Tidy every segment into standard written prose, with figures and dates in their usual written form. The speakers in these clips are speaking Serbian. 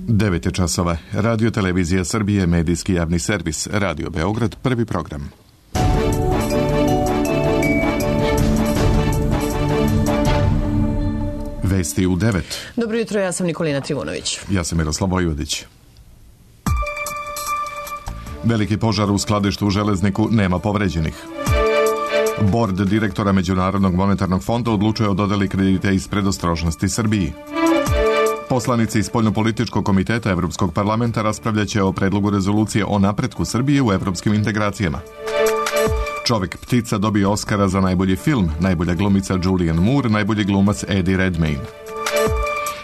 9 je časova. Radio Televizija Srbije, medijski javni servis, Radio Beograd, prvi program. Vesti u 9. Dobro jutro, ja sam Nikolina Trivunović. Ja sam Miroslav Vojvodić. Veliki požar u skladištu u Železniku, nema povređenih. Bord direktora Međunarodnog monetarnog fonda odlučuje o dodeli kredite iz predostrožnosti Srbiji. Poslanici Spoljnopolitičkog komiteta Evropskog parlamenta raspravljaće o predlogu rezolucije o napretku Srbije u evropskim integracijama. Čovjek ptica dobio Oskara za najbolji film, najbolja glumica Julianne Moore, najbolji glumac Eddie Redmayne.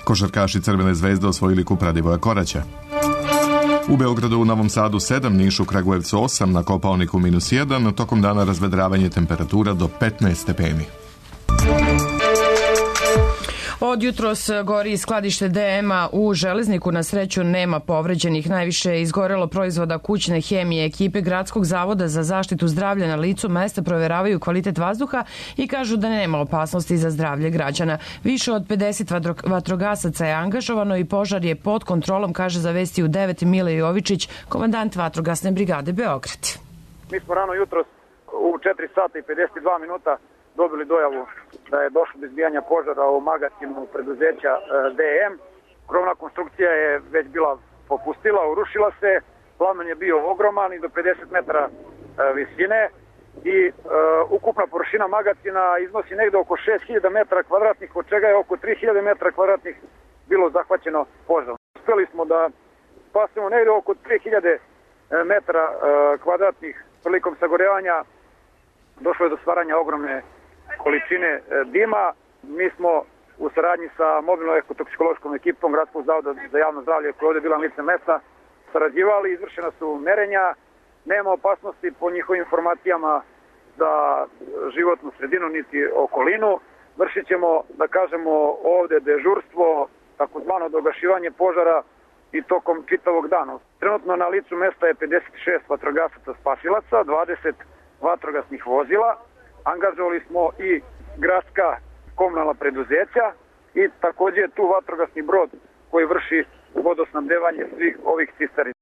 Košarkaši Crvene zvezde osvojili kup Radivoja Koraća. U Beogradu, u Novom Sadu 7, Nišu, Kragujevcu 8, na Kopaoniku -1, tokom dana razvedravanje temperatura do 15 stepeni. Od jutros gori skladište DM-a u Železniku, na sreću nema povređenih. Najviše je izgorelo proizvoda kućne hemije. Ekipe Gradskog zavoda za zaštitu zdravlja na licu mesta proveravaju kvalitet vazduha i kažu da nema opasnosti za zdravlje građana. Više od 50 vatrogasaca je angažovano i požar je pod kontrolom, kaže za Vesti u 9 Mile Jovičić, komandant vatrogasne brigade Beograd. Mi smo rano jutros u 4 sata i 52 minuta dobili dojavu da je došlo do izbijanja požara u magazinu preduzeća DM. Krovna konstrukcija je već bila popustila, urušila se, plamen je bio ogroman i do 50 metara visine i ukupna površina magazina iznosi negde oko 6000 metara kvadratnih, od čega je oko 3000 metara kvadratnih bilo zahvaćeno požarom. Uspeli smo da spasemo negde oko 3000 metara kvadratnih. Prilikom sagorevanja došlo je do stvaranja ogromne količine dima. Mi smo u saradnji sa mobilnom ekotoksikološkom ekipom Gradskog zavoda za javno zdravlje, koja je ovdje bila na licu mesta, sarađivali, izvršena su merenja, nema opasnosti po njihovim informacijama za životnu sredinu niti okolinu. Vršit ćemo, da kažemo, ovdje dežurstvo, takozvano dogašivanje požara i tokom čitavog dana. Trenutno na licu mesta je 56 vatrogasaca spasilaca, 20 vatrogasnih vozila. Angažovali smo i gradska komunalna preduzeća i također tu vatrogasni brod koji vrši vodosnabdevanje svih ovih cisterni.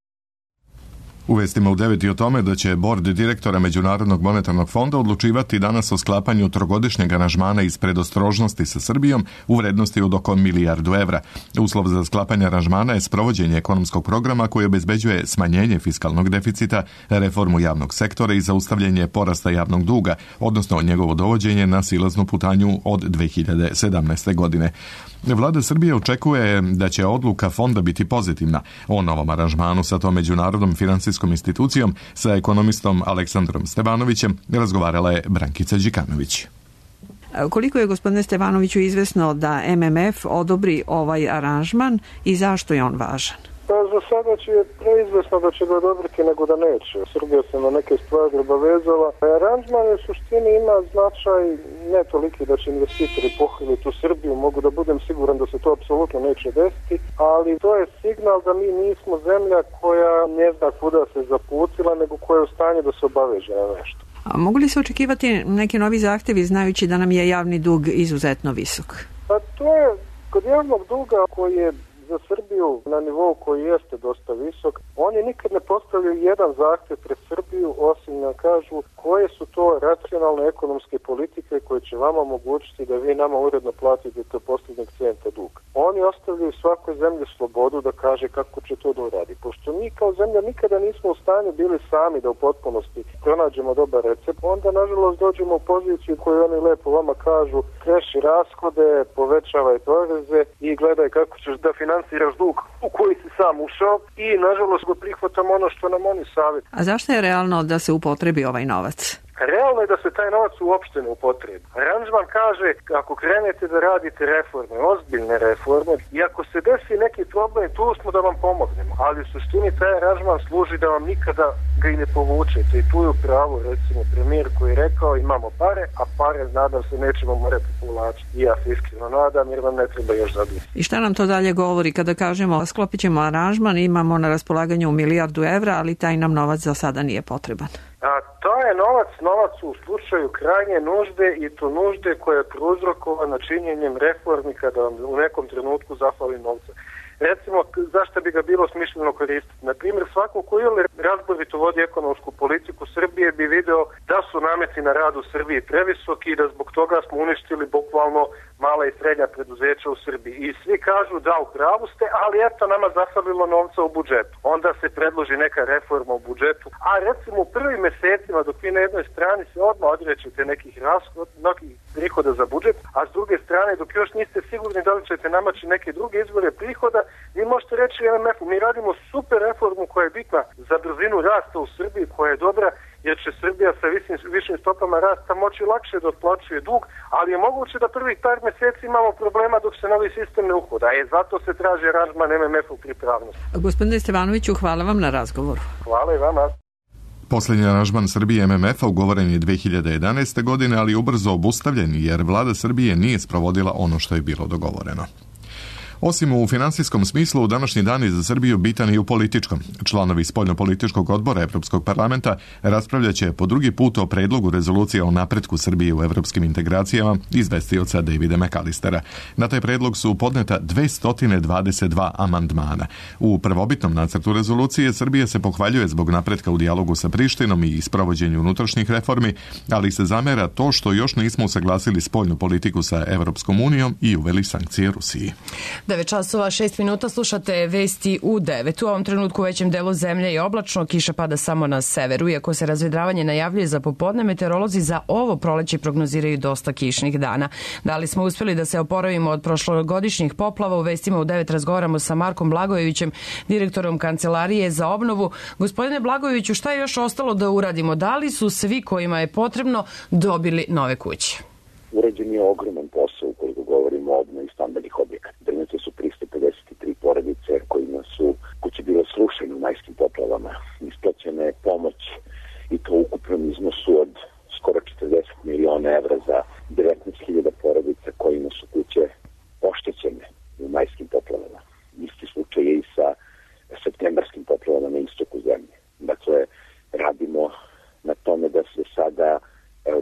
U vestima u 9 i o tome da će bord direktora Međunarodnog monetarnog fonda odlučivati danas o sklapanju trogodišnjeg aranžmana iz predostrožnosti sa Srbijom u vrednosti od oko 1 milijardu evra. Uslov za sklapanje aranžmana je sprovođenje ekonomskog programa koji obezbeđuje smanjenje fiskalnog deficita, reformu javnog sektora i zaustavljanje porasta javnog duga, odnosno njegovo dovođenje na silaznu putanju od 2017. godine. Vlada Srbije očekuje da će odluka fonda biti pozitivna. O novom aranžmanu sa tom međunarodnom finansijskom institucijom sa ekonomistom Aleksandrom Stevanovićem razgovarala je Brankica Đikanović. Koliko je, gospodine Stevanoviću, izvesno da MMF odobri ovaj aranžman i zašto je on važan? Za sada će preizvesno da će ga odobriti nego da neće. Srbija se na neke stvari obavezala. Aranžman u suštini ima značaj ne toliki da će investitori pohvaliti u Srbiju, mogu da budem siguran da se to apsolutno neće desiti, ali to je signal da mi nismo zemlja koja ne zna kuda se zaputila, nego koja je u stanju da se obaveže na nešto. A mogu li se očekivati neki novi zahtevi, znajući da nam je javni dug izuzetno visok? Pa to je kod javnog duga koji je za Srbiju na nivou koji jeste dosta visok, oni nikad ne postavljaju jedan zahtjev pred Srbiju, osim da kažu koje su to racionalne ekonomske politike koje će vama omogućiti da vi nama uredno platite do posljednjeg centa dug. Oni ostavljaju svakoj zemlji slobodu da kaže kako će to da uradi. Pošto mi kao zemlja nikada nismo u stanju bili sami da u potpunosti pronađemo dobar recept, onda nažalost dođemo u poziciju koju oni lepo vama kažu: kreši rashode, povećavaj poreze i gledaj kako ćeš da finansiraš dug u koji si sam ušao, i nažalost go prihvatamo ono što nam oni savjet. A zašto je realno da se upotrebi ovaj novac? Realno je da se taj novac uopšte ne upotrebi. Aranžman kaže, ako krenete da radite reforme, ozbiljne reforme, i ako se desi neki problem, tu smo da vam pomognemo. Ali u suštini taj aranžman služi da vam nikada ga i ne povučete. I tu je u pravu, recimo, premijer koji je rekao: imamo pare, a pare, nadam se, nećemo morati povlačiti. I ja se iskreno nadam, jer vam ne treba još zadužiti. I šta nam to dalje govori kada kažemo sklopit ćemo aranžman, imamo na raspolaganju 1 milijardu evra, ali taj nam novac za sada nije potreban? A to je novac u slučaju krajnje nužde, i to nužde koja je prouzrokovana činjenjem reformi kada vam u nekom trenutku zafali novca. recimo, zašto bi ga bilo smišljeno koristiti? Na primjer, svako ko ili razborito vodi ekonomsku politiku Srbije bi video da su nameti na rad u Srbiji previsoki i da zbog toga smo uništili bukvalno mala i srednja preduzeća u Srbiji. I svi kažu da u pravu ste, ali eto nama zafalilo novca u budžetu. Onda se predloži neka reforma u budžetu, a recimo u prvim mesecima dok vi na jednoj strani se odmah odrećete nekih prihoda za budžet, a s druge strane dok još niste sigurni da li ćete namaći neke druge izvore prihoda, vi možete reći MMF-u, mi radimo super reformu koja je bitna za brzinu rasta u Srbiji, koja je dobra, jer će Srbija sa višim stopama rasta moći lakše da otplaćuje dug, ali je moguće da prvih par meseci imamo problema dok se novi sistem ne uhoda. Zato se traži aranžman MMF-u pripravnosti. Gospodine Stevanoviću, hvala vam na razgovoru. Hvala i vama. Posljednji aranžman Srbije MMF-a ugovoren je 2011. godine, ali ubrzo obustavljen jer vlada Srbije nije sprovodila ono što je bilo dogovoreno. Osim u finansijskom smislu, današnji dan je za Srbiju bitan i u političkom. Članovi spoljnopolitičkog odbora Evropskog parlamenta raspravljat će po drugi put o predlogu rezolucije o napretku Srbije u evropskim integracijama izvestioca Davida McAllistera. Na taj predlog su podneta 222 amandmana. U prvobitnom nacrtu rezolucije Srbija se pohvaljuje zbog napretka u dijalogu sa Prištinom i sprovođenju unutrašnjih reformi, ali se zamera to što još nismo usaglasili spoljnu politiku sa Evropskom unijom i uveli sankcije Rusiji. 9 časova 6 minuta, slušate vesti u 9. U ovom trenutku u većem delu zemlje je oblačno, kiša pada samo na severu. Iako se razvedravanje najavljuje za popodne, meteorolozi za ovo proleće prognoziraju dosta kišnih dana. Da li smo uspjeli da se oporavimo od prošlogodišnjih poplava? U vestima u 9 razgovaramo sa Markom Blagojevićem, direktorom Kancelarije za obnovu. Gospodine Blagojeviću, šta je još ostalo da uradimo? Da li su svi kojima je potrebno dobili nove kuće? Urađen je ogroman posao ukoliko govorimo o obnovi stambenih objekata. Trenutno su 353 porodice kojima su kuće bile srušene u majskim poplavama. Isplaćena je pomoć i to u ukupnom iznosu od skoro 40 miliona evra za 19.000 porodica kojima su kuće oštećene u majskim poplavama. Isti slučaj je i sa septembarskim poplavama na istoku zemlje. Dakle, radimo na tome da se sada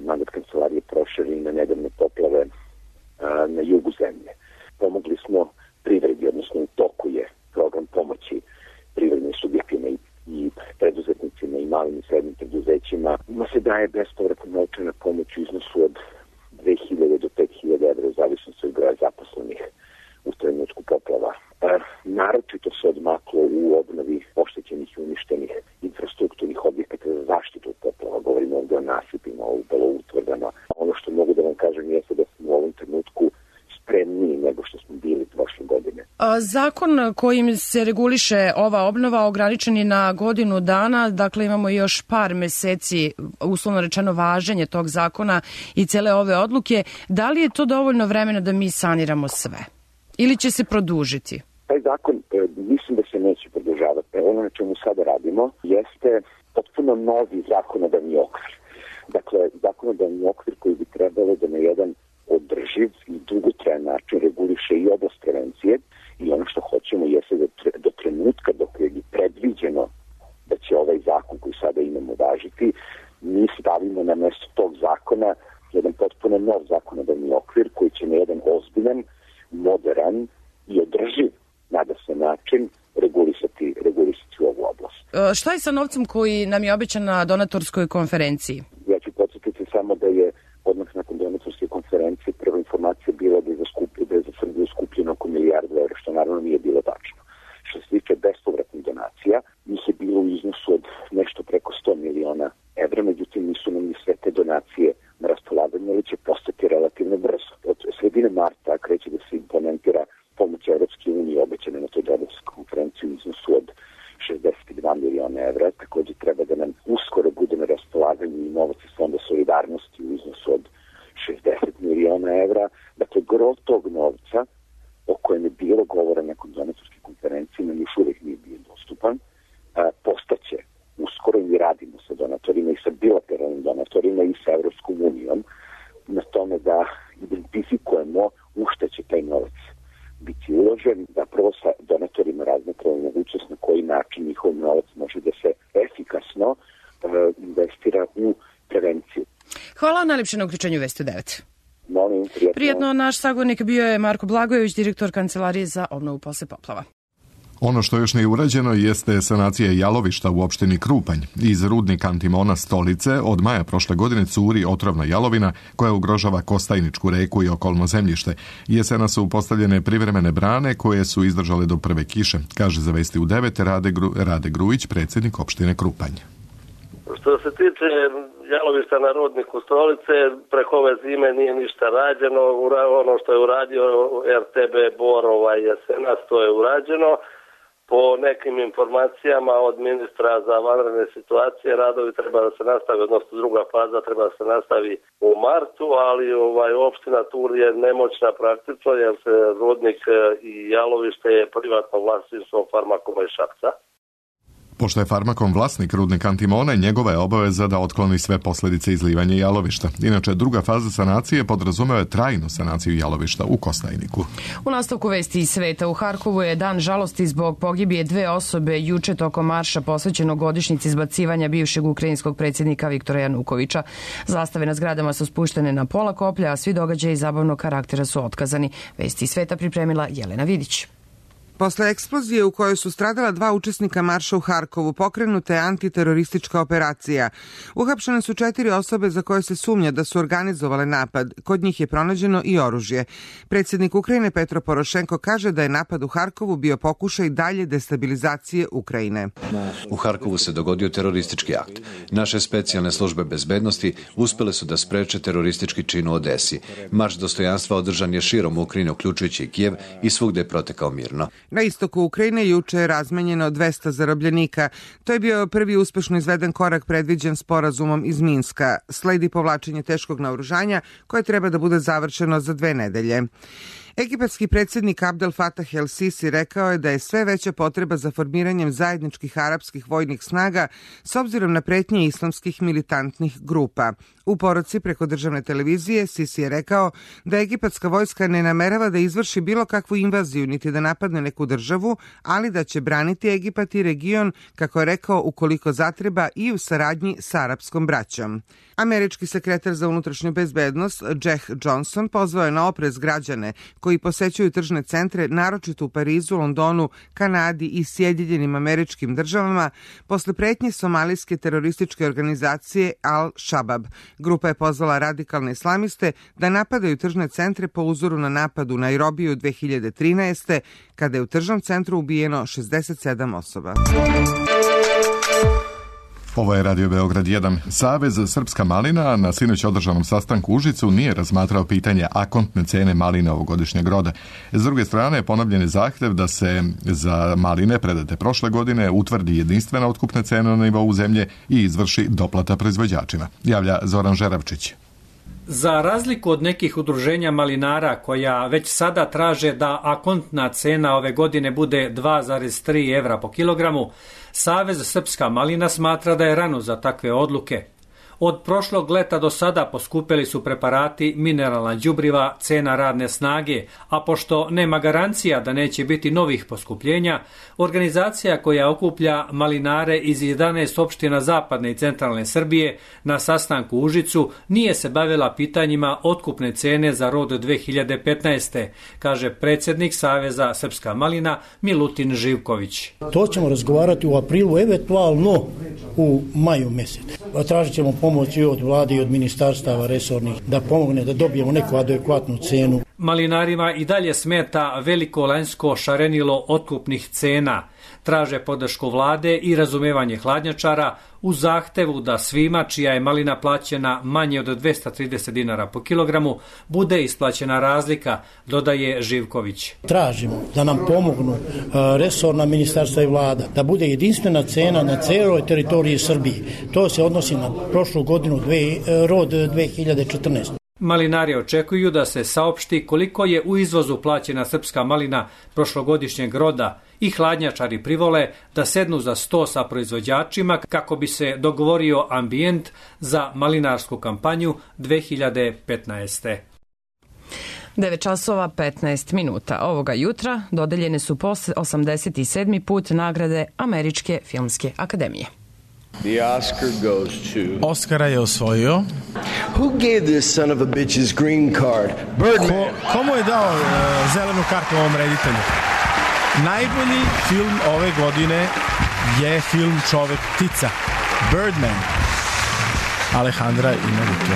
mandat kancelarije proširi na nedavne poplave na jugu zemlje. Pomogli smo privredi, odnosno u toku je program pomoći privrednim subjektima i preduzetnicima i malim i srednjim preduzećima. Ima se daje bespovratna novčana pomoć u iznosu od 2.000 do 5.000 evra u zavisnosti od broja zaposlenih u trenutku poplava. Naročito se odmaklo u obnovi oštećenih i uništenih infrastrukturnih objekata za zaštitu od poplava. Govorimo ovdje o nasipima, o utvrdama. Ono što mogu da vam kažem jeste da smo u ovom trenutku spremniji nego što smo bili prošle godine. Zakon kojim se reguliše ova obnova ograničen je na godinu dana, dakle imamo još par meseci, uslovno rečeno, važenje tog zakona i cele ove odluke. Da li je to dovoljno vremena da mi saniramo sve? Ili će se produžiti? Taj zakon mislim da se neće produžavati. Ono na čemu sada radimo jeste potpuno novi zakonodavni okvir. Dakle, zakonodavni okvir koji bi trebalo da na jedan održiv i dugotrajan način reguliše i oblast prevencije i ono što hoćemo jeste da do trenutka dok je predviđeno da će ovaj zakon koji sada imamo važiti, mi stavimo na mjesto tog zakona jedan potpuno nov zakonodavni okvir koji će na jedan ozbiljan, moderan i održiv, nada se, način regulisati ovu oblast. Šta je sa novcem koji nam je obećan na donatorskoj konferenciji? Ja ću podsjetiti samo da je odmah nakon donatorske konferencije prva informacija bila da je za Srbiju skupljeno oko milijardu evra, što naravno nije bilo tačno. Što se tiče bespovratnih donacija, njih je bilo u iznosu od nešto preko 100 miliona evra, međutim nisu nam ni sve te donacije na raspolaganju, ali će postati relativno brzo. Od sredine marta kreće da se implementira pomoć Evropske unije obećane na toj donatorskoj konferenciji u iznosu od 62 miliona evra. Također treba da nam uskoro bude na raspolaganju i novac iz Fonda solidarnosti u iznosu od 60 miliona evra. Dakle, gro tog novca o kojem je bilo govora nakon donatorske konferencije nam još uvijek nije bio dostupan. Postaće uskoro i mi radimo sa donatorima i sa bilateralnim donatorima i sa Evropskom unijom na tome da identifikujemo u šta će taj novac biti uložen, da prvo sa donatorima razmatramo mogućnost na koji način njihov novac može da se efikasno investira u prevenciju. Hvala najlepše na uključenju Vesti 9. Molim, prijetno. Naš sagovornik bio je Marko Blagojević, direktor Kancelarije za obnovu posle poplava. Ono što još nije urađeno jeste sanacija jalovišta u opštini Krupanj. Iz rudnika Antimona Stolice od maja prošle godine curi otrovna jalovina koja ugrožava Kostajničku reku i okolno zemljište. Jesena su postavljene privremene brane koje su izdržale do prve kiše, kaže za Vesti u 9 Rade Grujić, predsjednik opštine Krupanj. Što se tiče jalovišta na rudniku Stolice, preko ove zime nije ništa rađeno. Ono što je uradio RTB Bor jesenas, to je urađeno. Po nekim informacijama od ministra za vanredne situacije radovi treba da se nastavi, odnosno druga faza treba da se nastavi u martu, ali opština Tur je nemoćna praktično jer se rudnik i jalovište je privatno vlasništvo Farmakoma iz Šapca. Pošto je Farmakom vlasnik rudnika Antimona, njegova je obaveza da otkloni sve posljedice izlivanja jalovišta. Inače, druga faza sanacije podrazumeva trajnu sanaciju jalovišta u Kostajniku. U nastavku Vesti iz sveta, u Harkovu je dan žalosti zbog pogibije 2 osobe juče tokom marša posvećenog godišnjici izbacivanja bivšeg ukrajinskog predsjednika Viktora Janukovića. Zastave na zgradama su spuštene na pola koplja, a svi događaji zabavnog karaktera su otkazani. Vesti iz sveta pripremila Jelena Vidić. Posle eksplozije u kojoj su stradala 2 učesnika marša u Harkovu, pokrenuta je antiteroristička operacija. Uhapšene su 4 osobe za koje se sumnja da su organizovale napad. Kod njih je pronađeno i oružje. Predsjednik Ukrajine Petro Porošenko kaže da je napad u Harkovu bio pokušaj dalje destabilizacije Ukrajine. U Harkovu se dogodio teroristički akt. Naše specijalne službe bezbednosti uspjele su da spreče teroristički čin u Odesi. Marš dostojanstva održan je širom Ukrajine, uključujući i Kijev, i svugde je protekao mirno. Na istoku Ukrajine juče je razmenjeno 200 zarobljenika. To je bio prvi uspešno izveden korak predviđen sporazumom iz Minska. Sledi povlačenje teškog naoružanja koje treba da bude završeno za 2 nedelje. Egipatski predsjednik Abdel Fattah el-Sisi rekao je da je sve veća potreba za formiranjem zajedničkih arapskih vojnih snaga s obzirom na pretnje islamskih militantnih grupa. U poruci preko državne televizije Sisi je rekao da egipatska vojska ne namerava da izvrši bilo kakvu invaziju niti da napadne neku državu, ali da će braniti Egipat i region, kako je rekao, ukoliko zatreba i u saradnji sa arapskom braćom. Američki sekretar za unutrašnju bezbednost Jack Johnson pozvao je na oprez građane koji posećuju tržne centre, naročito u Parizu, Londonu, Kanadi i Sjedinjenim Američkim Državama, posle pretnje somalijske terorističke organizacije Al-Shabaab. Grupa je pozvala radikalne islamiste da napadaju tržne centre po uzoru na napad u Nairobiju 2013. kada je u tržnom centru ubijeno 67 osoba. Ovo je Radio Beograd 1. Savez Srpska malina na sinoć održanom sastanku u Užicu nije razmatrao pitanje akontne cene maline ovogodišnjeg roda. S druge strane, ponovljen je zahtev da se za maline predate prošle godine utvrdi jedinstvena otkupna cena na nivou zemlje i izvrši doplata proizvođačima. Javlja Zoran Žeravčić. Za razliku od nekih udruženja malinara koja već sada traže da akontna cena ove godine bude 2,3 evra po kilogramu, Savez Srpska malina smatra da je rano za takve odluke. Od prošlog leta do sada poskupeli su preparati, mineralna đubriva, cena radne snage, a pošto nema garancija da neće biti novih poskupljenja, organizacija koja okuplja malinare iz 11 opština zapadne i centralne Srbije na sastanku u Užicu nije se bavila pitanjima otkupne cene za rod 2015. kaže predsjednik Saveza Srpska malina Milutin Živković. To ćemo razgovarati u aprilu, eventualno u maju mjesecu. Tražit ćemo pomoći od vlade i od ministarstava resornih da pomogne da dobijemo neku adekvatnu cenu. Malinarima i dalje smeta veliko lanjsko šarenilo otkupnih cena. Traže podršku vlade i razumevanje hladnjačara u zahtevu da svima čija je malina plaćena manje od 230 dinara po kilogramu bude isplaćena razlika, dodaje Živković. Tražimo da nam pomognu resorna ministarstva i vlada, da bude jedinstvena cena na celoj teritoriji Srbije. To se odnosi na prošlu godinu rod 2014. Malinari očekuju da se saopšti koliko je u izvozu plaćena srpska malina prošlogodišnjeg roda i hladnjačari privole da sednu za sto sa proizvođačima kako bi se dogovorio ambijent za malinarsku kampanju 2015. 9 časova 15 minuta. Ovoga jutra dodeljene su po 87. put nagrade Američke filmske akademije. The Oscar goes to... Oscara je osvojio... Who gave this son of a bitch's green card? Birdman. Komu je dao zelenu kartu ovom reditelju? Najbolji film ove godine je film Čovek ptica, Birdman, Alejandra Inarritu.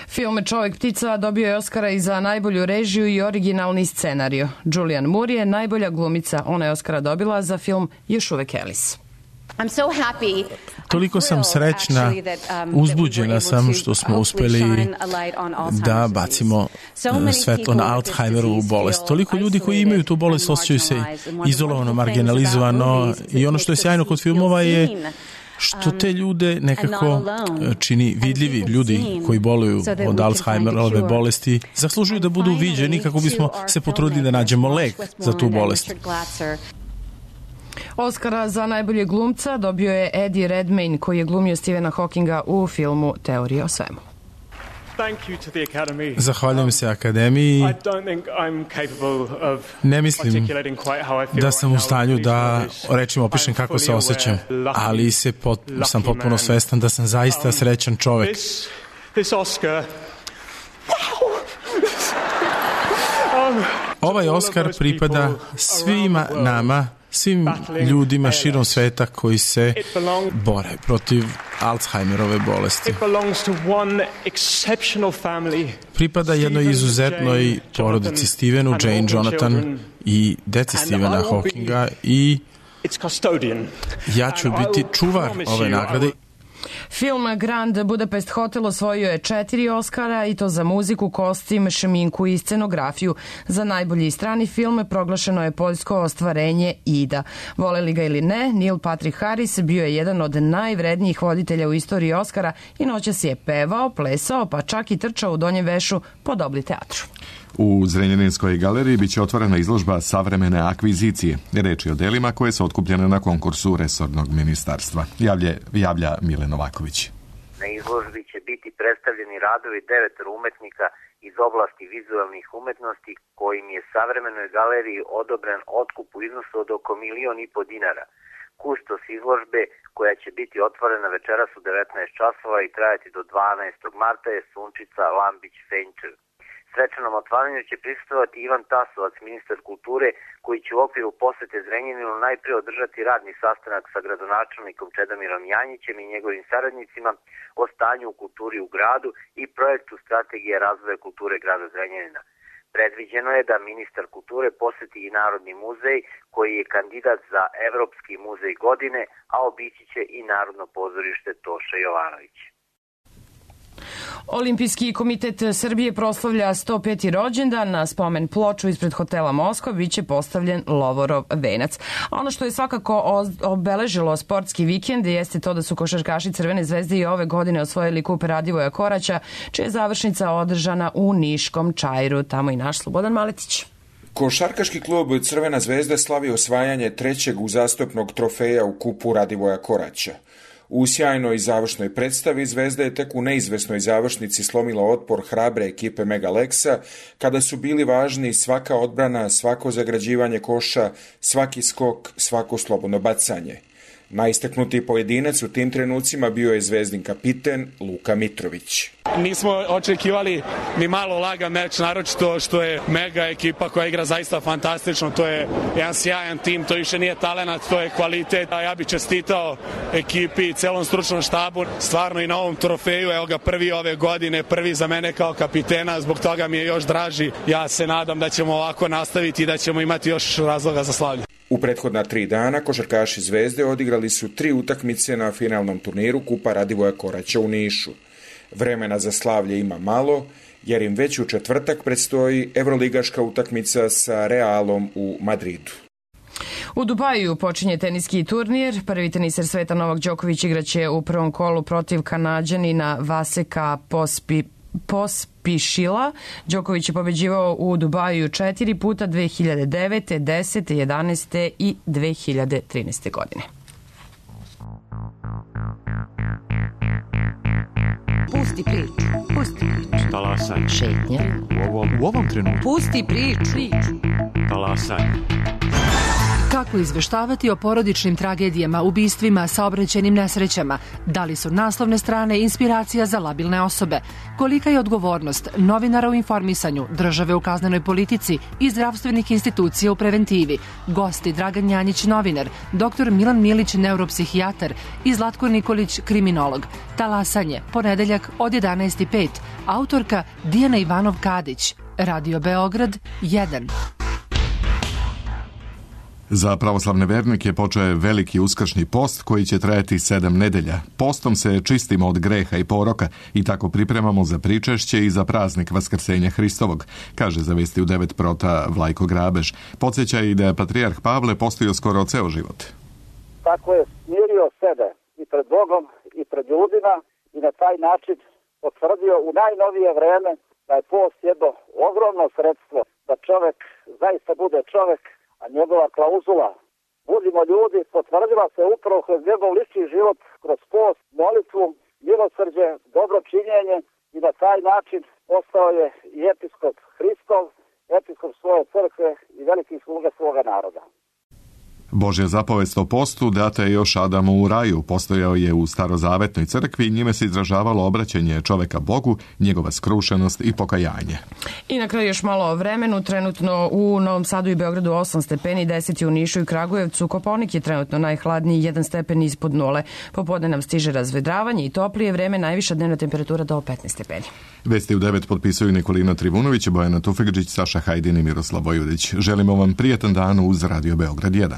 Film Čovek ptica dobio je Oskara i za najbolju režiju i originalni scenario. Julianne Moore je najbolja glumica. Ona je Oskara dobila za film Još uvek Alice. Toliko sam srećna, uzbuđena sam što smo uspeli da bacimo svetlo na Alzheimerovu bolest. Toliko ljudi koji imaju tu bolest osjećaju se izolovano, marginalizovano i ono što je sjajno kod filmova je što te ljude nekako čini vidljivi. Ljudi koji boluju od Alzheimerove bolesti zaslužuju da budu viđeni kako bismo se potrudili da nađemo lek za tu bolest. Oskara za najbolje glumca dobio je Eddie Redmayne, koji je glumio Stephena Hawkinga u filmu Teorija o svemu. Zahvaljujem se Akademiji. Ne mislim da sam u stanju da rečima opišem kako se osjećam, ali sam potpuno svestan da sam zaista srećan čovek. Ovaj Oskar pripada svima nama, svim ljudima širom sveta koji se bore protiv Alzheimerove bolesti. Pripada jednoj izuzetnoj porodici Stephenu, Jane, Jonathan i deci Stephena Hawkinga i ja ću biti čuvar ove nagrade. Film Grand Budapest Hotel osvojio je 4 Oskara i to za muziku, kostim, šminku i scenografiju. Za najbolji strani film proglašeno je poljsko ostvarenje Ida. Voleli ga ili ne, Neil Patrick Harris bio je jedan od najvrednijih voditelja u istoriji Oskara i noćas je pevao, plesao, pa čak i trčao u donjem vešu po Dobli teatru. U Zrenjaninskoj galeriji biće otvorena izložba Savremene akvizicije. Reč je o delima koje su otkupljene na konkursu resornog ministarstva. Javlja Mile Novaković. Na izložbi će biti predstavljeni radovi 9 umetnika iz oblasti vizualnih umetnosti kojim je Savremenoj galeriji odobren otkup u iznosu od oko 1,5 miliona dinara. Kustos izložbe, koja će biti otvorena večeras u 19 časova i trajati do 12. marta, je Sunčica Lambić-Fenčev. Svečanom otvaranju će prisustvovati Ivan Tasovac, ministar kulture, koji će u okviru posete Zrenjaninu najprije održati radni sastanak sa gradonačelnikom Čedomirom Janjićem i njegovim saradnicima o stanju u kulturi u gradu i projektu strategije razvoja kulture grada Zrenjanina. Predviđeno je da ministar kulture poseti i Narodni muzej, koji je kandidat za Evropski muzej godine, a obići će i Narodno pozorište Toša Jovanović. Olimpijski komitet Srbije proslavlja 105. rođendan. Na spomen ploču ispred hotela Moskva biće postavljen Lovorov venac. Ono što je svakako obeležilo sportski vikend jeste to da su košarkaši Crvene zvezde i ove godine osvojili kup Radivoja Koraća, čija je završnica održana u Niškom Čairu. Tamo i naš Slobodan Maletić. Košarkaški klub Crvena zvezda slavi osvajanje 3. uzastopnog trofeja u kupu Radivoja Koraća. U sjajnoj završnoj predstavi Zvezda je tek u neizvesnoj završnici slomila otpor hrabre ekipe Mega Leksa, kada su bili važni svaka odbrana, svako zagrađivanje koša, svaki skok, svako slobodno bacanje. Najistaknutiji pojedinac u tim trenucima bio je Zvezdin kapiten Luka Mitrović. Nismo očekivali ni malo lagan meč, naročito što je Mega ekipa koja igra zaista fantastično. To je jedan sjajan tim, to više nije talenat, to je kvalitet. Ja bih čestitao ekipi i celom stručnom štabu, stvarno i na ovom trofeju, evo ga prvi ove godine, prvi za mene kao kapitena, zbog toga mi je još draži. Ja se nadam da ćemo ovako nastaviti i da ćemo imati još razloga za slavlje. U prethodna 3 dana košarkaši Zvezde odigrali su 3 utakmice na finalnom turniru kupa Radivoja Koraća u Nišu. Vremena za slavlje ima malo, jer im već u četvrtak predstoji evroligaška utakmica sa Realom u Madridu. U Dubaju počinje teniski turnir. Prvi teniser sveta Novak Đoković igraće u prvom kolu protiv Kanađanina Vaseka Pospišila. Đoković je pobeđivao u Dubaju 4 puta 2009. 10. 11. i 2013. godine. Pusti priču. Pusti priču. Talasaj. Šetnja. U ovom trenutku. Pusti priču. Talasaj. Kako Kako izveštavati o porodičnim tragedijama, ubistvima, saobraćajnim nesrećama? Da li su naslovne strane inspiracija za labilne osobe? Kolika je odgovornost novinara u informisanju, države u kaznenoj politici i zdravstvenih institucija u preventivi? Gosti Dragan Janjić, novinar, dr. Milan Milić, neuropsihijatar i Zlatko Nikolić, kriminolog. Talasanje, ponedeljak od 11:05. Autorka Dijana Ivanov-Kadić. Radio Beograd 1. Za pravoslavne vernike počeo je veliki uskršnji post koji će trajati 7 nedelja. Postom se čistimo od greha i poroka i tako pripremamo za pričešće i za praznik Vaskrsenja Hristovog, kaže za Vesti u 9 prota Vlajko Grabež. Podsjeća i da je patrijarh Pavle postio skoro ceo život. Tako je smirio sebe i pred Bogom i pred ljudima i na taj način potvrdio u najnovije vreme da je post jedno ogromno sredstvo da čovek zaista bude čovek, a njegova klauzula budimo ljudi potvrdila se upravo kroz njegov lični život, kroz post, molitvu, milosrđe, dobro činjenje i na taj način postao je i episkop Hristov, episkop svoje crkve i veliki sluga svoga naroda. Božja zapovest o postu data je još Adamu u raju, postojao je u starozavetnoj crkvi i njime se izražavalo obraćanje čoveka Bogu, njegova skrušenost i pokajanje. I na kraju još malo o vremenu. Trenutno u Novom Sadu i Beogradu 8 stepeni, 10 je u Nišu i Kragujevcu. Kopaonik je trenutno najhladniji, 1 stepen ispod nule. Popodne nam stiže razvedravanje i toplije vreme, najviša dnevna temperatura do 15 stepeni. Vesti u 9 potpisuju Nikolina Trivunović, Bojana Tufekđić, Saša Hajdin i Miroslav Vojudić. Želimo vam prijetan dan uz Radio Beograd 1.